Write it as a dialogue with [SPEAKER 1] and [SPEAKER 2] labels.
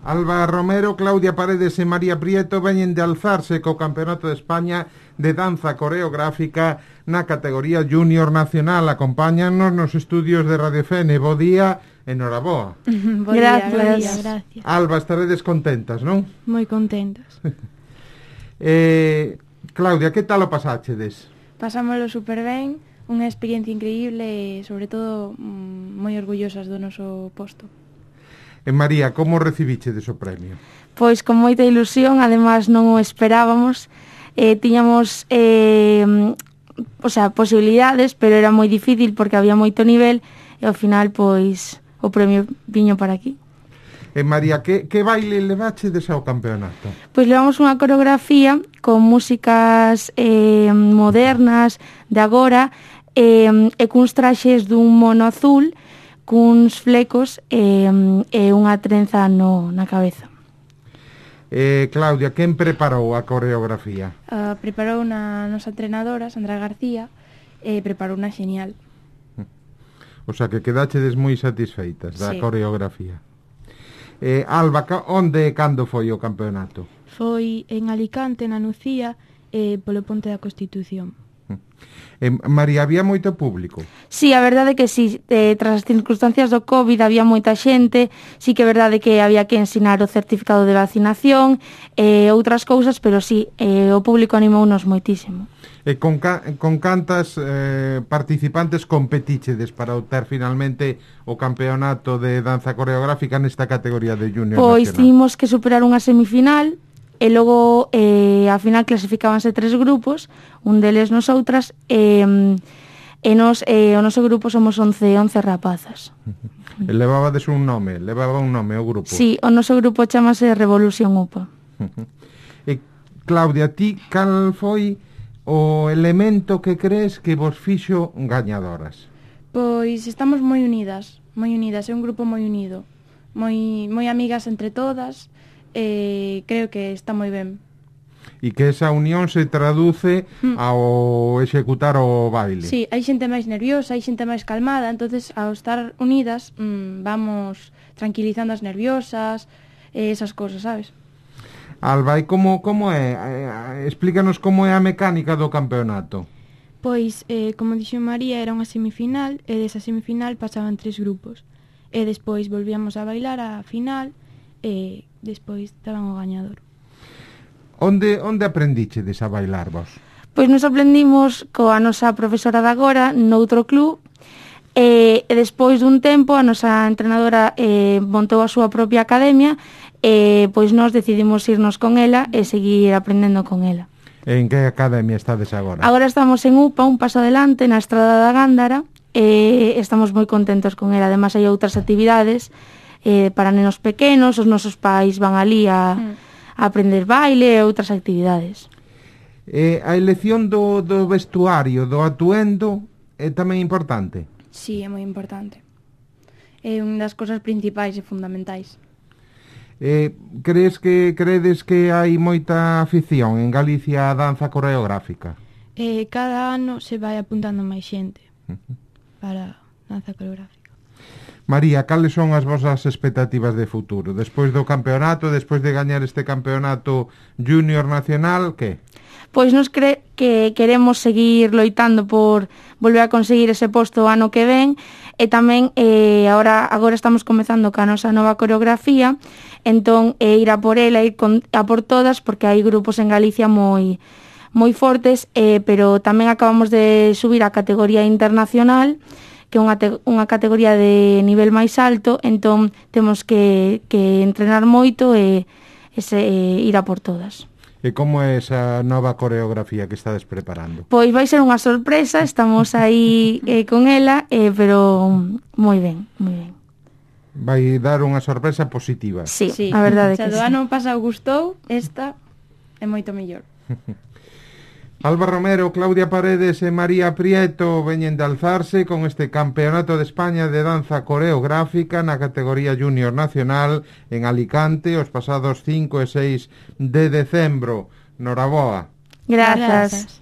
[SPEAKER 1] Alba Romero, Claudia Paredes e María Prieto veñen de alzarse co Campeonato de España de danza coreográfica na categoría Junior Nacional. Acompáñanos nos estudios de Radio Fene. Bo día, enhoraboa.
[SPEAKER 2] Gracias.
[SPEAKER 1] Alba, estaredes contentas, non?
[SPEAKER 2] Moi contentas.
[SPEAKER 1] Claudia, que tal o pasáchedes?
[SPEAKER 3] Pasámoslo super ben, unha experiencia increíble e, sobre todo, moi orgullosas do noso posto.
[SPEAKER 1] E María, como recibichedes o premio?
[SPEAKER 2] Pois con moita ilusión, ademais non o esperábamos. Tiñamos posibilidades, pero era moi difícil porque había moito nivel e ao final, pois, o premio viño para aquí.
[SPEAKER 1] E María, que baile levachedes ao campeonato?
[SPEAKER 2] Pois levamos unha coreografía con músicas modernas de agora e cuns traxes dun mono azul cuns flecos e unha trenza na cabeza.
[SPEAKER 1] Claudia, quen preparou a coreografía?
[SPEAKER 3] Preparou na nosa entrenadora, Sandra García, e preparou unha genial.
[SPEAKER 1] O sea, que quedachedes moi satisfeitas da coreografía. Alba, onde e cando foi o campeonato?
[SPEAKER 4] Foi en Alicante, na Nucía, polo Ponte da Constitución.
[SPEAKER 1] María, había moito público?
[SPEAKER 2] Sí, a verdade que sí, tras as circunstancias do COVID había moita xente, sí que é verdade que había que ensinar o certificado de vacinación e outras cousas, pero sí, o público animounos moitísimo.
[SPEAKER 1] E con cantas participantes competichedes para obter finalmente o campeonato de danza coreográfica nesta categoría de Junior
[SPEAKER 2] Pois
[SPEAKER 1] Nacional?
[SPEAKER 2] tínhamos que superar unha semifinal e logo a final clasificábanse 3 grupos, un deles nosoutras e o noso grupo somos 11 rapazas.
[SPEAKER 1] Levaba un nome o grupo?
[SPEAKER 2] Sí, o noso grupo chamase Revolución UPA.
[SPEAKER 1] E Claudia, ti cal foi o elemento que crees que vos fixo gañadoras?
[SPEAKER 3] Pois estamos moi unidas, é un grupo moi unido, moi amigas entre todas. Creo que está moi ben.
[SPEAKER 1] E que esa unión se traduce ao executar o baile.
[SPEAKER 3] Sí, hai xente máis nerviosa, hai xente máis calmada, entonces ao estar unidas vamos tranquilizando as nerviosas, esas cosas, sabes?
[SPEAKER 1] Alba, e como é? Explícanos como é a mecánica do campeonato.
[SPEAKER 4] Pois, como dixo María, era unha semifinal e desa semifinal pasaban 3 grupos e despois volvíamos a bailar a final e despois daban o gañador.
[SPEAKER 1] Onde aprendichedes a bailar vos?
[SPEAKER 2] Pois nos aprendimos coa nosa profesora de agora noutro club e despois dun tempo a nosa entrenadora montou a súa propia academia e pois nós decidimos irnos con ela e seguir aprendendo con ela.
[SPEAKER 1] En que academia estades agora?
[SPEAKER 2] Agora estamos en UPA, un paso adelante, na Estrada da Gándara e estamos moi contentos con ela. Ademais hai outras actividades para nenos pequenos, os nosos pais van ali a aprender baile e outras actividades.
[SPEAKER 1] A elección do vestuario, do atuendo, é tamén importante?
[SPEAKER 3] Sí, é moi importante. É unha das cosas principais e fundamentais.
[SPEAKER 1] Credes que hai moita afición en Galicia a danza coreográfica?
[SPEAKER 4] Cada ano se vai apuntando máis xente para danza coreográfica.
[SPEAKER 1] María, cales son as vosas expectativas de futuro? Despois do campeonato, despois de gañar este campeonato Junior Nacional, que?
[SPEAKER 2] Pois nos que queremos seguir loitando por volver a conseguir ese posto o ano que ven e tamén agora estamos comezando ca nosa nova coreografía, entón ir a por ela, ir a por todas, porque hai grupos en Galicia moi fortes, pero tamén acabamos de subir a categoría internacional, que é unha categoría de nivel máis alto, entón temos que entrenar moito e ir a por todas.
[SPEAKER 1] E como é esa nova coreografía que estades preparando?
[SPEAKER 2] Pois vai ser unha sorpresa, estamos aí con ela, pero moi ben.
[SPEAKER 1] Vai dar unha sorpresa positiva.
[SPEAKER 2] Sí, a verdade que sí.
[SPEAKER 3] Se do ano pasado gustou, esta é moito mellor.
[SPEAKER 1] Alba Romero, Claudia Paredes e María Prieto veñen de alzarse con este Campeonato de España de Danza Coreográfica na categoría Junior Nacional en Alicante os pasados 5 e 6 de decembro. Noraboa.
[SPEAKER 2] Grazas.